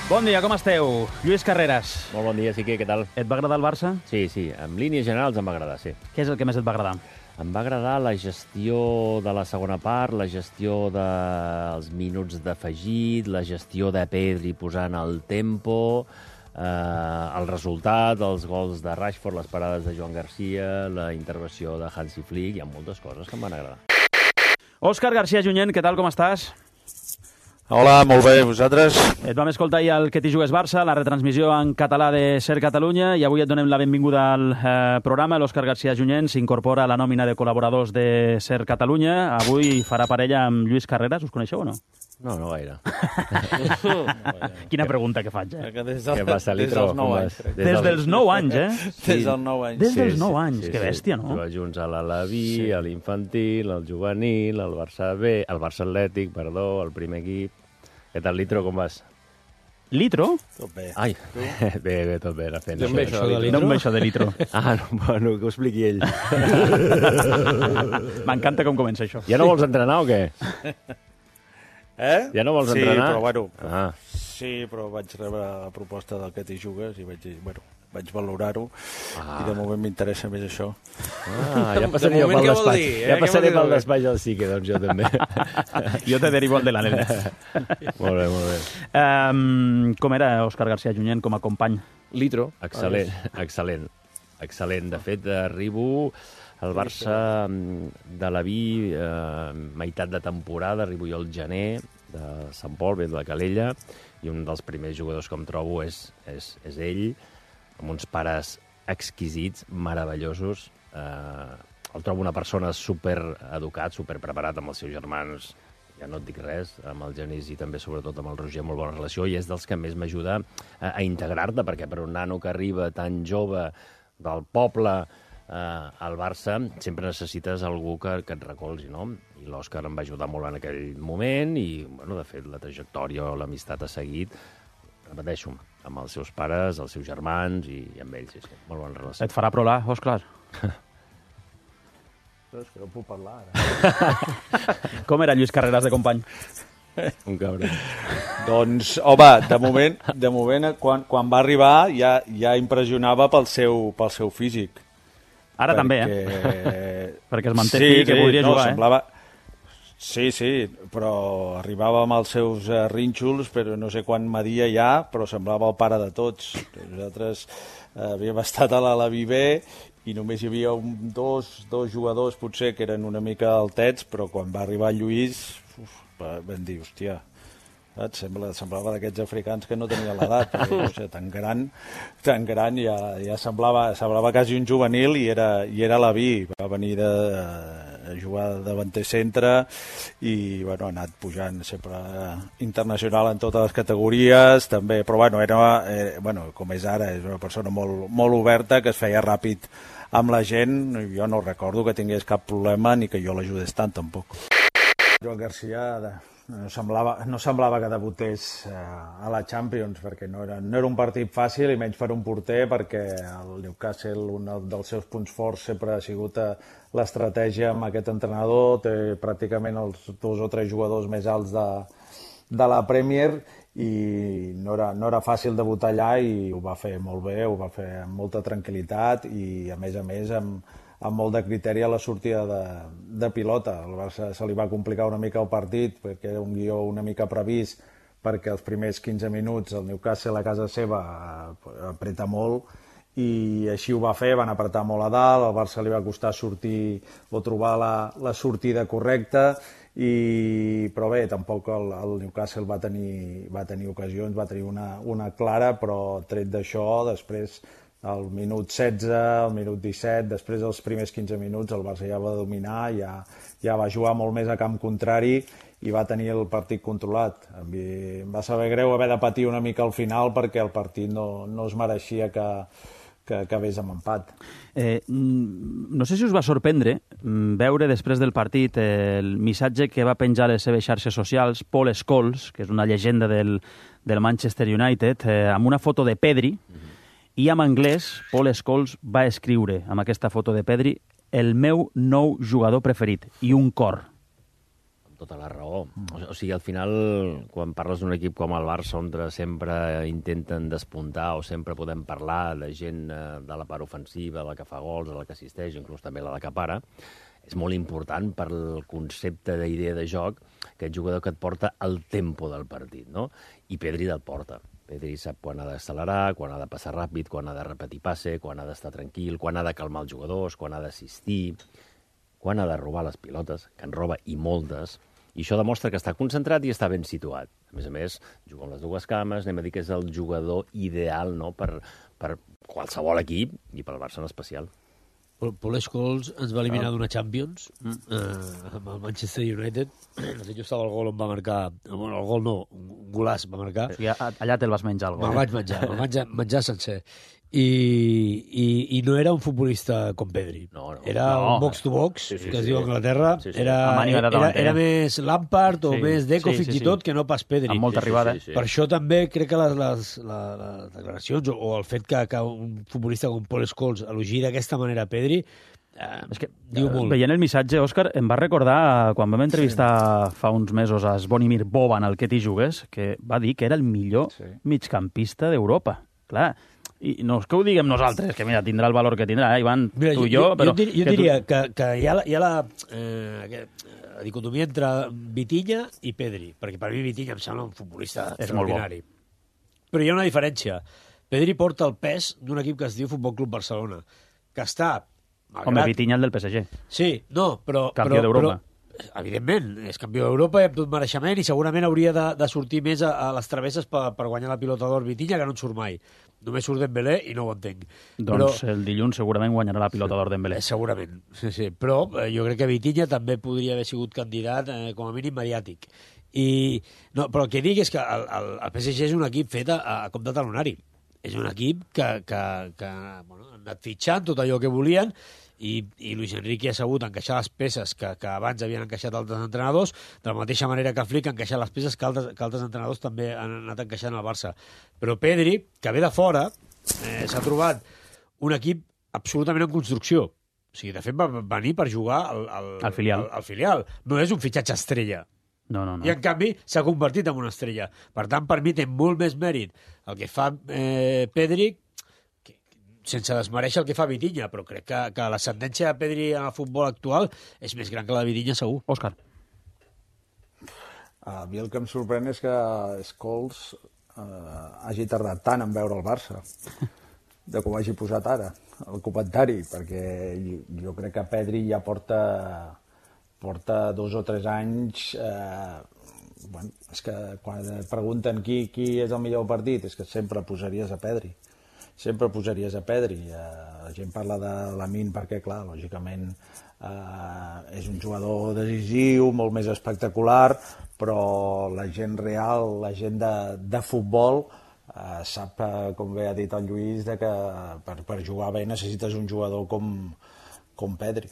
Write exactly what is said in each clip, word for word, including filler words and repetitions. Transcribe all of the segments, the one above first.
Bon dia, com esteu? Lluís Carreras. Molt bon dia, Sique, què tal? Et va agradar el Barça? Sí, sí, en línies generals em va agradar, sí. Què és el que més et va agradar? Em va agradar la gestió de la segona part, la gestió dels minuts d'afegit, la gestió de Pedri posant el tempo, eh, el resultat, els gols de Rashford, les parades de Joan Garcia, la intervenció de Hansi Flick, hi ha moltes coses que em van agradar. Òscar García Junyent, què tal, com estàs? Hola, molt bé, vosaltres? Et vam escoltar ahir al Que t'hi jugues Barça, la retransmissió en català de Ser Catalunya, i avui et donem la benvinguda al eh, programa. L'Òscar García Junyent s'incorpora a la nòmina de col·laboradors de Ser Catalunya. Avui farà parella amb Lluís Carreras, us coneixeu o no? No, no gaire. Quina pregunta que faig, eh? Des Què passa, Litro? dels nou anys. Des, Des dels nou anys, eh? Des dels nou anys. Des dels nou anys, que bèstia, no? Jugar junts a l'Alaví, sí. a l'infantil, al juvenil, al Barça B, al Barça Atlètic, perdó, al primer equip. Què tal, Litro, com vas? Litro? Tot bé. Ai, bé, bé, tot bé, la feina. D'on ve això de Litro? D'on ve això de Litro? Ah, no, bueno, que ho expliqui ell. M'encanta com comença això. Ja no vols entrenar o què? Eh? Ja no vols sí, entrenar? Sí, però bueno, Ah. sí, però vaig rebre la proposta del Que t'hi jugues i vaig dir, bueno, vaig valorar-ho Ah. i de moment m'interessa més això. Ah, ja passaré jo pel despatx. Ja passaré pel despatx del Sique, doncs jo també. Jo te derivo al de l'Anel. Molt bé, molt bé. Um, com era Òscar García Junyent com a company? Litro. Excel·lent, excel·lent. Excel·lent. De fet, arribo al Barça de la Vi, eh, meitat de temporada, arribo jo al gener de Sant Pol, ve de la Calella, i un dels primers jugadors que em trobo és, és, és ell, amb uns pares exquisits, meravellosos. Eh, el trobo una persona supereducat, superpreparat amb els seus germans, ja no et dic res, amb el Genís i també sobretot amb el Roger, molt bona relació, i és dels que més m'ajuda a, a integrar-te, perquè per un nano que arriba tan jove del poble eh, al Barça, sempre necessites algú que, que et recolzi, no? I l'Òscar em va ajudar molt en aquell moment i, bueno, de fet, la trajectòria o l'amistat ha seguit, repeteixo, amb els seus pares, els seus germans i, i amb ells, sí, sí, molt bona relació. Et farà prolar, Òscar? Però és que no puc parlar ara. Com era Lluís Carreras de company? Un cabron. Doncs, home, de moment, de moment quan, quan va arribar ja, ja impressionava pel seu, pel seu físic. Ara perquè... també, eh? Perquè es manté sí, fi que sí, voldria no, jugar, semblava... eh? Sí, sí, però arribava amb els seus uh, rínxols, però no sé quan media ja, però semblava el pare de tots. Nosaltres uh, havíem estat a l'Alaví B i només hi havia un, dos, dos jugadors potser que eren una mica altets, però quan va arribar Lluís uf, vam dir, hòstia, saps? Sembla, semblava d'aquests africans que no tenia l'edat, perquè no sé, tan gran, tan gran ja, ja semblava, semblava quasi un juvenil i era, i era l'Alaví, va venir de... a jugar de davanter centre i bueno, ha anat pujant sempre internacional en totes les categories també, però bueno, era, eh, bueno, com és ara, és una persona molt, molt oberta que es feia ràpid amb la gent, jo no recordo que tingués cap problema ni que jo l'ajudés tant tampoc. Joan Garcia no semblava, no semblava que debutés eh, a la Champions perquè no era, no era un partit fàcil i menys per un porter perquè el Newcastle, un dels seus punts forts sempre ha sigut eh, l'estratègia amb aquest entrenador, té pràcticament els dos o tres jugadors més alts de, de la Premier i no era, no era fàcil debutar allà i ho va fer molt bé, ho va fer amb molta tranquil·litat i a més a més amb, amb molt de criteri a la sortida de, de pilota. Al Barça se li va complicar una mica el partit perquè era un guió una mica previst perquè els primers quinze minuts el Newcastle a casa seva apreta molt i així ho va fer, van apretar molt a dalt, al Barça li va costar sortir o trobar la, la sortida correcta, i, però bé, tampoc el, el Newcastle va tenir, va tenir ocasions, va tenir una, una clara, però tret d'això, després al minut setze, al minut disset, després dels primers quinze minuts el Barça ja va dominar, ja, ja va jugar molt més a camp contrari i va tenir el partit controlat. Em va saber greu haver de patir una mica al final perquè el partit no, no es mereixia que, que acabés amb empat. Eh, no sé si us va sorprendre veure després del partit el missatge que va penjar a les seves xarxes socials Paul Scholes, que és una llegenda del, del Manchester United, eh, amb una foto de Pedri, mm-hmm. I en anglès, Paul Scholes va escriure amb aquesta foto de Pedri el meu nou jugador preferit, i un cor. tota la raó. O sigui, al final, quan parles d'un equip com el Barça, on sempre intenten despuntar o sempre podem parlar de gent de la part ofensiva, la que fa gols, la que assisteix, inclús també la que para, és molt important per el concepte d'idea de joc aquest jugador que et porta el tempo del partit, no? I Pedri te'l porta. Pedri sap quan ha d'accelerar, quan ha de passar ràpid, quan ha de repetir passe, quan ha d'estar tranquil, quan ha de calmar els jugadors, quan ha d'assistir, quan ha de robar les pilotes, que en roba i moltes, i això demostra que està concentrat i està ben situat. A més a més, juga amb les dues cames, anem a dir que és el jugador ideal, no?, per, per qualsevol equip i pel Barça en especial. Paul Scholes ens va eliminar d'una Champions mm. eh, amb el Manchester United. No sé, jo estava al gol on va marcar... Bueno, el gol no, un golaç va marcar. O sigui, allà te'l vas menjar, el gol. Me'l vaig menjar, me'l vaig menjar sencer. I, i, I no era un futbolista com Pedri. No, no. Era no. un box-to-box, sí, sí, que es sí. diu a Anglaterra. Sí, sí. Era, era, era, era més Lampard o sí, més Deco, sí, fins sí, i sí. tot, que no pas Pedri. Amb molta Sí, sí, arribada. sí, sí. Per això també crec que les, les, les, les declaracions o, o el fet que, que un futbolista com Paul Scholes elogi d'aquesta manera a Pedri eh, és que, diu molt. Veient el missatge, Òscar, em va recordar quan vam entrevistar sí. fa uns mesos a Zvonimir Boban, el que t'hi jugues, que va dir que era el millor sí. migcampista d'Europa. Clar, i no és que ho diguem nosaltres, que mira, tindrà el valor que tindrà, eh, Ivan, Mira, tu jo, i jo, però... Jo, jo que diria tu... que, que hi ha la, hi ha la, eh, la dicotomia entre Vitinha i Pedri, perquè per mi Vitinha em sembla un futbolista És molt bo. extraordinari. Però hi ha una diferència. Pedri porta el pes d'un equip que es diu Futbol Club Barcelona, que està... Malgrat... Home, Vitinha el del P S G. Sí, no, però... Campió però, d'Europa. Però, evidentment, és campió d'Europa i amb tot mereixement i segurament hauria de, de sortir més a, a les travesses per, per guanyar la pilota d'or Vitinha, que no en surt mai. Només surt Dembélé i no ho entenc. Doncs però, el dilluns segurament guanyarà la pilota d'or Dembélé. eh, segurament, sí, sí. Però eh, jo crec que Vitinha també podria haver sigut candidat eh, com a mínim mediàtic. I, no, però el que dic és que el, el, el P S G és un equip fet a, a cop de talonari. És un equip que, que, que bueno, han anat fitxant tot allò que volien i, i Luis Enrique ha sabut encaixar les peces que, que abans havien encaixat altres entrenadors, de la mateixa manera que Flick ha encaixat les peces que altres, que altres entrenadors també han anat encaixant al Barça. Però Pedri, que ve de fora, eh, s'ha trobat un equip absolutament en construcció. O sigui, de fet, va venir per jugar al, al, al, filial. al, al filial. No és un fitxatge estrella. No, no, no. I, en canvi, s'ha convertit en una estrella. Per tant, per mi té molt més mèrit el que fa eh, Pedri, que, sense desmereixer el que fa Vitinha, però crec que, que l'ascendència de Pedri en el futbol actual és més gran que la de Vitinha, segur. Òscar. A mi el que em sorprèn és que Scholes eh, hagi tardat tant en veure el Barça, de que ho hagi posat ara, el comentari, perquè jo crec que Pedri ja porta... porta dos o tres anys, eh, bueno, és que quan et pregunten qui, qui és el millor partit, és que sempre posaries a Pedri, sempre posaries a Pedri. Eh, la gent parla de Lamine perquè, clar, lògicament eh, és un jugador decisiu, molt més espectacular, però la gent real, la gent de, de futbol, eh, sap, eh, com bé ha dit el Lluís, de que per, per jugar bé necessites un jugador com, com Pedri.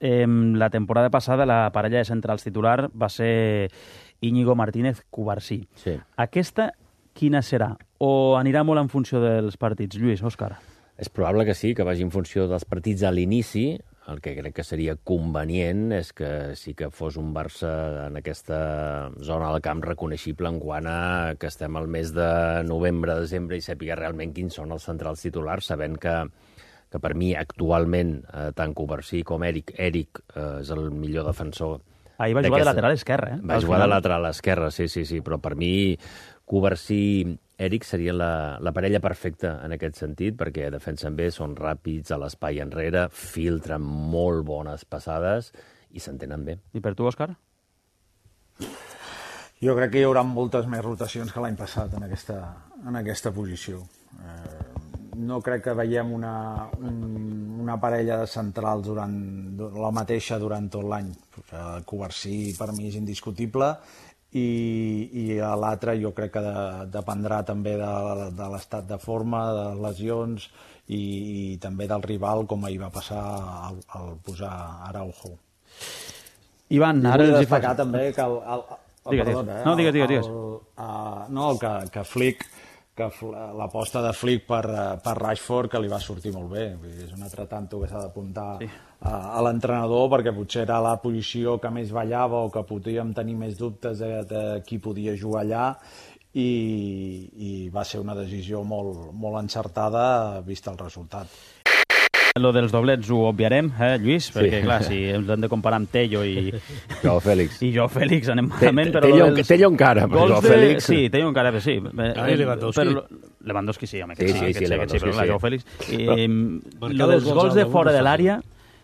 Eh, la temporada passada la parella de centrals titular va ser Íñigo Martínez Cubarsí. Sí. Aquesta quina serà? O anirà molt en funció dels partits? Lluís, Òscar. És probable que sí, que vagi en funció dels partits a l'inici. El que crec que seria convenient és que sí que fos un Barça en aquesta zona del camp reconeixible en quant a que estem al mes de novembre, desembre i sàpiga realment quins són els centrals titulars, sabent que que per mi actualment eh, tant Cubarsí com Eric, Eric eh, és el millor defensor. Ahir va jugar de lateral esquerre. Eh? Va jugar de lateral esquerre, sí, sí, sí, però per mi Cubarsí, Eric seria la, la parella perfecta en aquest sentit, perquè defensen bé, són ràpids a l'espai enrere, filtren molt bones passades i s'entenen bé. I per tu, Òscar? Jo crec que hi haurà moltes més rotacions que l'any passat en aquesta, en aquesta posició. Eh, no crec que veiem una, un, una parella de centrals durant, la mateixa durant tot l'any. El Cubarsí per mi és indiscutible i, i l'altre jo crec que de, dependrà també de, de l'estat de forma, de les lesions i, i també del rival, com ahir va passar al, al posar Araujo. Ivan, ara els els hi faig... també que el, el, el, digues, perdona, eh? no, digues, digues, digues. El, el, uh, no, que, que Flick que l'aposta de Flick per, per Rashford que li va sortir molt bé. Vull dir, és un altre tanto que s'ha d'apuntar sí. a, a l'entrenador, perquè potser era la posició que més ballava o que podíem tenir més dubtes de, de qui podia jugar allà, i, i va ser una decisió molt, molt encertada vist el resultat. Lo dels doblets ho obviarem, eh, Lluís? Perquè, sí. clar, si ens hem de comparar amb Tello i... Jo, Fèlix. I jo, Fèlix, anem malament, però... Tello, dels... Tello encara, però jo, de... Fèlix... Sí, Tello encara, sí. Ah, i Lewandowski. Però... Lewandowski sí, home, que sí, sí, sí, sí, sí, però clar, jo, Fèlix... I, però... Lo dels gols de fora de l'àrea...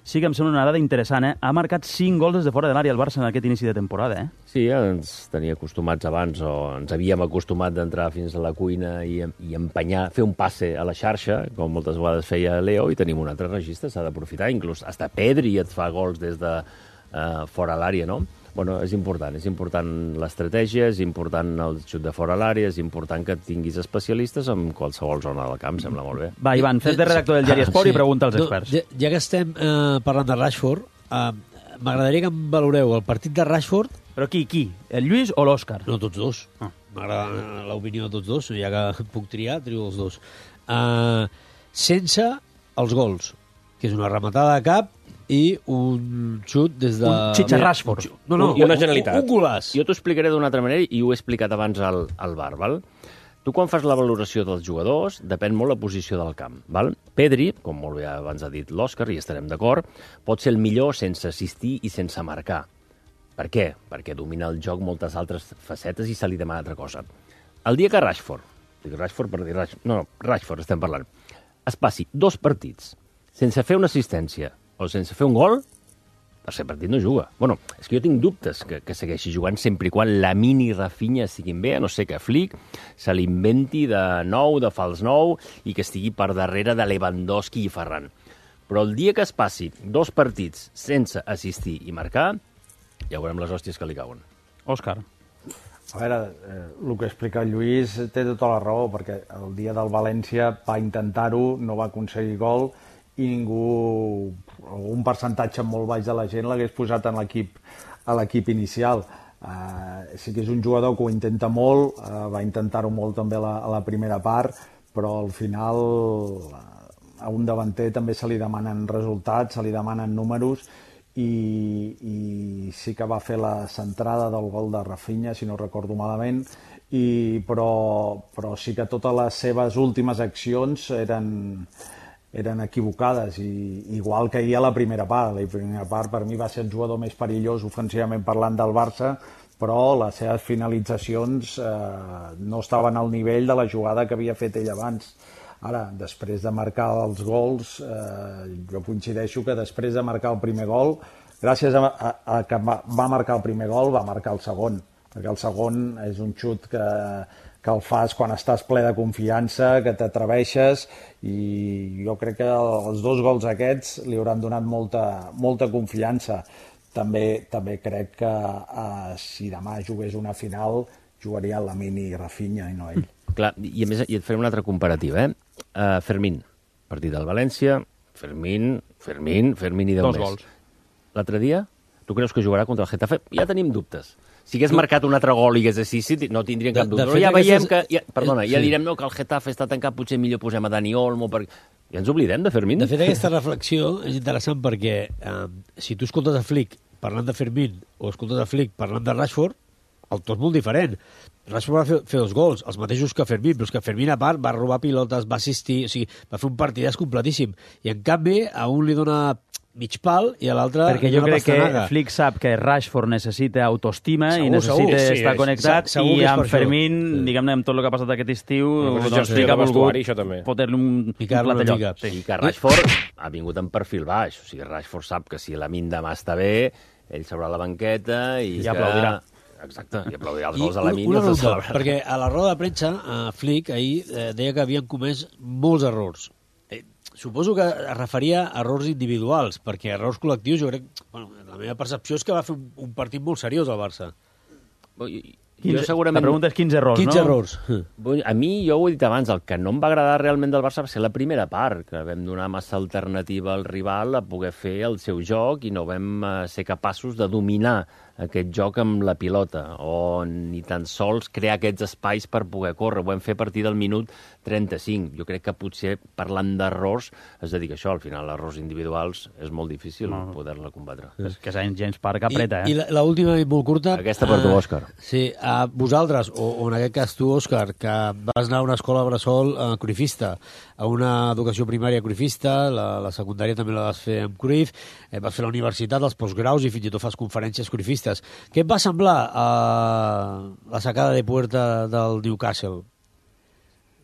Sí que em sembla una dada interessant, eh? Ha marcat cinc gols des de fora de l'àrea el Barça en aquest inici de temporada, eh? Sí, ens tenia acostumats abans, o ens havíem acostumat d'entrar fins a la cuina i, i empenyar, fer un passe a la xarxa, com moltes vegades feia Leo, i tenim un altre registre, s'ha d'aprofitar. Inclús hasta Pedri et fa gols des de uh, fora l'àrea, no? Bueno, és important, és important l'estratègia, és important el xut de fora a l'àrea, és important que tinguis especialistes en qualsevol zona del camp, sembla molt bé. Va, Ivan, fes de redactor del diari Esport sí. i pregunta als experts. No, ja, ja que estem eh, parlant de Rashford, eh, m'agradaria que em valoreu el partit de Rashford... Però qui, qui? El Lluís o l'Òscar? No, tots dos. Ah. M'agrada l'opinió de tots dos, ja que puc triar, trio els dos. Eh, sense els gols, que és una rematada de cap i un xut des de... Un xitxa Rashford. No, no, una generalitat. Un, un golaç. Jo t'ho explicaré d'una altra manera i ho he explicat abans al, al bar, val? Tu quan fas la valoració dels jugadors depèn molt la posició del camp, val? Pedri, com molt bé abans ha dit l'Òscar, i estarem d'acord, pot ser el millor sense assistir i sense marcar. Per què? Perquè domina el joc moltes altres facetes i se li demana altra cosa. El dia que Rashford, dic Rashford per dir Rashford, no, no, Rashford estem parlant, es passi dos partits sense fer una assistència o sense fer un gol, per ser partit no juga. Bueno, és que jo tinc dubtes que, que segueixi jugant sempre i quan la mini Rafinha estiguin bé, a no ser que Flick se l'inventi de nou, de fals nou, i que estigui per darrere de Lewandowski i Ferran. Però el dia que es passi dos partits sense assistir i marcar, ja veurem les hòsties que li cauen. Òscar. A veure, eh, el que explica el Lluís té tota la raó, perquè el dia del València va intentar-ho, no va aconseguir gol, i ningú, un percentatge molt baix de la gent l'hagués posat en l'equip a l'equip inicial. Uh, sí que és un jugador que ho intenta molt, uh, va intentar-ho molt també a la, a la primera part, però al final uh, a un davanter també se li demanen resultats, se li demanen números, i, i sí que va fer la centrada del gol de Rafinha, si no recordo malament, i, però, però sí que totes les seves últimes accions eren... eren equivocades, i igual que ahir a la primera part. La primera part per mi va ser el jugador més perillós ofensivament parlant del Barça, però les seves finalitzacions eh, no estaven al nivell de la jugada que havia fet ell abans. Ara, després de marcar els gols, eh, jo coincideixo que després de marcar el primer gol, gràcies a, a, a que va, va marcar el primer gol, va marcar el segon, perquè el segon és un xut que que el fas quan estàs ple de confiança, que t'atreveixes, i jo crec que els dos gols aquests li hauran donat molta, molta confiança. També, també crec que eh, si demà jugués una final, jugaria Lamine i Rafinha i no ell. Clar, i a més i et faré una altra comparativa, eh? Uh, Fermín, partit del València, Fermín, Fermín, Fermín i deu dos més. Gols. L'altre dia, tu creus que jugarà contra el Getafe? Ja tenim dubtes. Si hagués marcat un altre gol i hagués així, no tindrien cap dubte. Però ja veiem que... Ja, perdona, ja direm no, que el Getafe està tancat, potser millor posem a Dani Olmo, perquè... Ja ens oblidem de Fermín. De fet, aquesta reflexió és interessant perquè eh, si tu escoltes a Flick parlant de Fermín o escoltes a Flick parlant de Rashford, el to és molt diferent. Rashford va fer, fer dos gols, els mateixos que Fermín, però és que Fermín, a part, va robar pilotes, va assistir, o sigui, va fer un partidàs completíssim. I, en canvi, a un li dona mig pal i a l'altre... Perquè jo crec pastanaga. Que Flick sap que Rashford necessita autoestima segur, i necessita segur, sí, estar sí, connectat, segur, segur i amb Fermín, sí. diguem-ne, amb tot el que ha passat aquest estiu, no, doncs Flick ha volgut fotre-li un, un platellot. Sí. I que Rashford ha vingut en perfil baix, o sigui, Rashford sap que si la min demà està bé, ell s'haurà a la banqueta i... Ja aplaudirà. Exacte, i aplaudirà els gols a la min. Una ronda, perquè a la roda de premsa, Flick ahir eh, deia que havien comès molts errors. Suposo que es referia a errors individuals, perquè errors col·lectius jo crec... Bueno, la meva percepció és que va fer un, un partit molt seriós al Barça. quinze, segurament... La pregunta és quinze errors, quinze no? errors. A mi, jo ho he dit abans, el que no em va agradar realment del Barça va ser la primera part, que vam donar massa alternativa al rival a poder fer el seu joc i no vam ser capaços de dominar aquest joc amb la pilota, o ni tan sols crear aquests espais per poder córrer. Ho vam fer a partir del minut trenta-cinc. Jo crec que potser, parlant d'errors, es dedica a això. Al final, errors individuals és molt difícil no. poder-la combatre. És que Saint James Park apreta, I, eh? I l'última i molt curta... Aquesta per tu, Òscar. Uh, sí, a vosaltres, o, o en aquest cas tu, Òscar, que vas anar a una escola bressol uh, cruifista, a una educació primària cruifista, la, la secundària també la vas fer amb Cruyff, eh, vas fer la universitat, els postgraus i fins i tot fas conferències cruifistes. Què et va semblar uh, la sacada de puerta del Newcastle?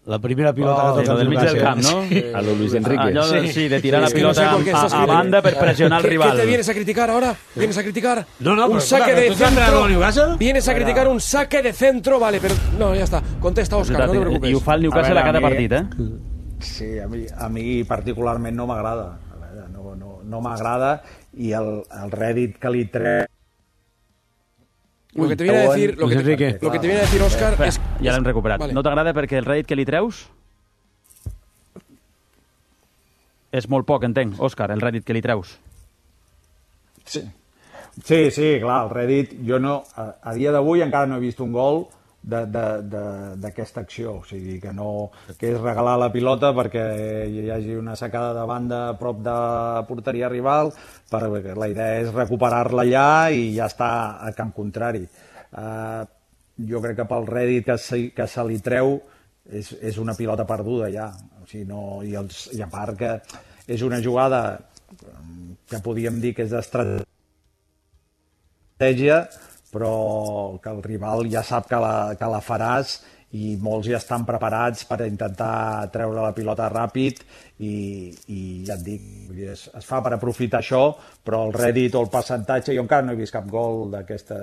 La primera pilota oh, que toca del mig del camp, ¿no? A lo Luis Enrique. Allò de, sí, de tirar Es la que no sé pilota por qué estás a, a banda per pressionar al ¿Qué, rival. ¿Qué te vienes a criticar ahora? ¿Vienes a criticar? No, no, un pero, saque claro, de ¿tú estás entrenando centro. al Newcastle? Vienes a criticar un saque de centro, vale, pero no, ya está. Contesta, Òscar, no te preocupes. I ho fa el Newcastle a, veure, a cada a mi, partit, eh? Sí, a mi, a mi particularment no m'agrada. No, no, no m'agrada i el, el rèdit que li treu... Lo que te viene a decir, lo que te, lo que te viene a decir Òscar eh, és... Ja l'hem recuperat. Vale. No t'agrada perquè el rèdit que li treus? És molt poc, entenc, Òscar, el rèdit que li treus. Sí, sí, sí clar, el rèdit... Jo no, a, a dia d'avui encara no he vist un gol d'aquesta acció, o sigui, que no que és regalar la pilota perquè hi hagi una sacada de banda a prop de porteria rival, perquè la idea és recuperar-la allà i ja està a camp contrari. Uh, jo crec que pel rèdit que se, que se li treu és, és una pilota perduda ja, o sigui, no, i, els, i a part que és una jugada que podíem dir que és d'estratègia, però que el rival ja sap que la, que la faràs i molts ja estan preparats per intentar treure la pilota ràpid i, i ja et dic, es, es fa per aprofitar això, però el rèdit o el percentatge, jo encara no he vist cap gol d'aquesta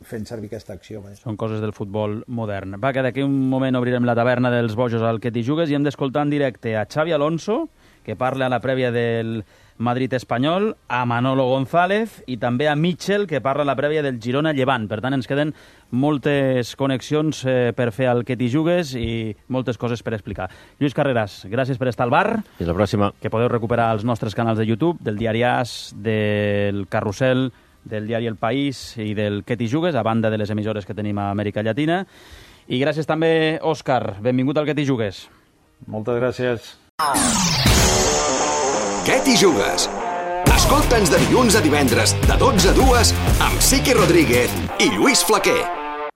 fent servir aquesta acció. Vaja. Són coses del futbol modern. Va, que d'aquí un moment obrirem la taverna dels bojos al que t'hi jugues i hem d'escoltar en directe a Xavi Alonso, que parla a la prèvia del Madrid espanyol, a Manolo González i també a Mitchell, que parla a la prèvia del Girona Llevant. Per tant, ens queden moltes connexions eh, per fer el que t'hi jugues i moltes coses per explicar. Lluís Carreras, gràcies per estar al bar. Fins la pròxima. Que podeu recuperar els nostres canals de YouTube, del Diari As, del Carrusel, del diari El País i del que t'hi jugues, a banda de les emissores que tenim a Amèrica Llatina. I gràcies també, Òscar. Benvingut al que t'hi jugues. Moltes gràcies. Què t'hi jugues? Escolta'ns de dilluns a divendres, de dotze a dues, amb Siqui Rodríguez i Lluís Flaquer.